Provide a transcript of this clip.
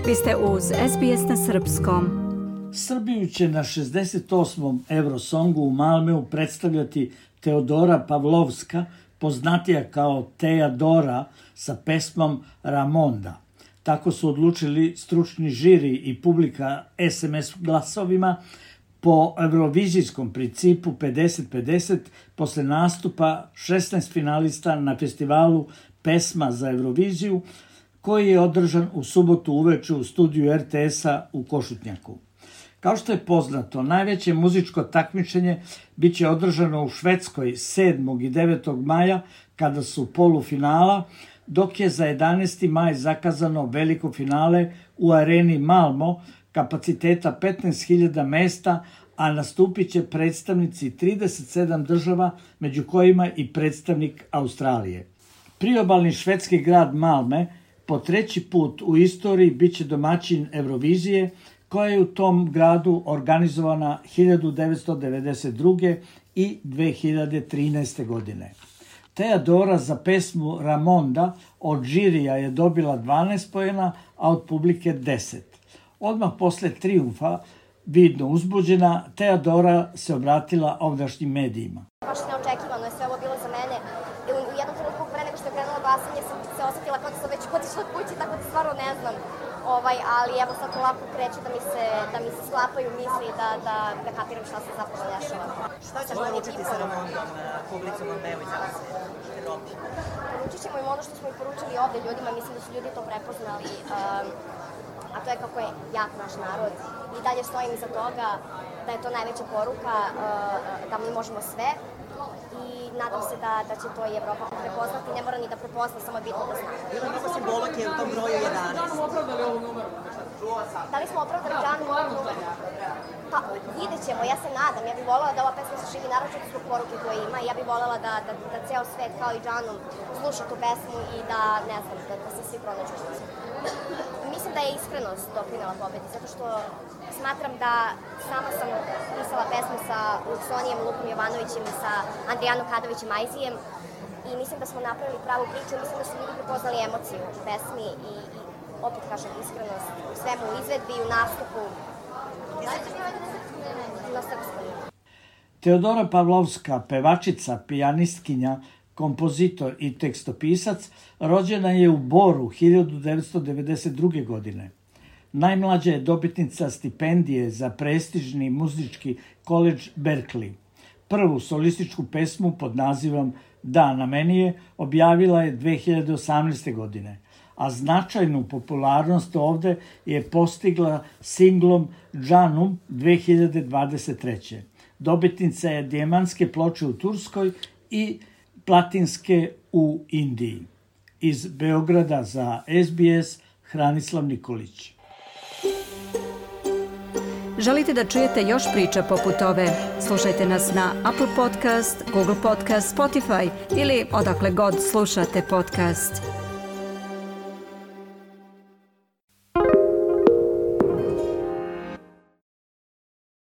Vi ste uz SBS na srpskom. Srbiju će na 68. Eurosongu u Malmeu predstavljati Teodora Pavlovska, poznatija kao Teja Dora, sa pesmom Ramonda. Tako su odlučili stručni žiri i publika SMS glasovima po eurovizijskom principu 50-50 posle nastupa 16 finalista na festivalu Pesma za Euroviziju, koji je održan u subotu uveče u studiju RTS-a u Košutnjaku. Kao što je poznato, najveće muzičko takmičenje biće održano u Švedskoj 7. i 9. maja, kada su polufinala, dok je za 11. maj zakazano veliko finale u areni Malmo kapaciteta 15.000 mesta, a nastupit će predstavnici 37 država, među kojima i predstavnik Australije. Priobalni švedski grad Malme po treći put u istoriji biće domaćin Eurovizije, koja je u tom gradu organizovana 1992. i 2013. godine. Teja Dora za pesmu Ramonda od žirija je dobila 12 poena, a od publike 10. Odmah posle trijumfa, vidno uzbuđena, Teja Dora se obratila ovdašnjim medijima. Baš neočekivano je sve ovo bilo za mene. U jednom trenutku pre nego što je krenulo glasanje sam se osetila kao da sam već otišla od kući, tako da stvarno ne znam. Ali evo sad polako kreće da mi se sklapaju misli da kapiram šta se zapravo dešava. Šta ćeš poručiti sa Ramondom publici u Malmeu i celo svijetu? Poručit ćemo im ono što smo i poručili ovde ljudima, mislim da su ljudi to prepoznali, a to je kako je jak naš narod. I dalje stojim iza toga da je to najveća poruka, da mi možemo sve. I nadam se da će to i Evropa prepoznati, ne mora ni da prepozna, samo bitno da zna. Bilo mnogo simbolike u tom broju 11. Da li smo opravdali Džanu numer? Pa, vidjet ćemo, ja se nadam. Ja bih voljela da ova pesma se širi naročito zbog poruke koje ima. Ja bih voljela da ceo svet kao i Džanu sluša tu pesmu i da, ne znam, da se svi pronađu. Mislim da je iskrenost doprinela pobedi, zato što smatram da sama sam pisala pesmu sa Luksonijem, Lukom Jovanovićem i sa Andrijanom Kadovićem Ajzijem i mislim da smo napravili pravu priču, mislim da su ljudi prepoznali emociju u pesmi i opet kažem iskrenost u svemu, u izvedbi i u nastupu. Na srpskom. Teodora Pavlovska, pevačica, pijanistkinja, kompozitor i tekstopisac, rođena je u Boru 1992. godine. Najmlađa je dobitnica stipendije za prestižni muzički koledž Berkeley. Prvu solističku pesmu pod nazivom Da, na meni je objavila je 2018. godine, a značajnu popularnost ovde je postigla singlom Džanum 2023. Dobitnica je dijamantske ploče u Turskoj i platinske u Indiji. Iz Beograda za SBS, Hranislav Nikolić. Želite da čujete još priča poput ove? Slušajte nas na Apple Podcast, Google Podcast, Spotify ili odakle god slušate podcast.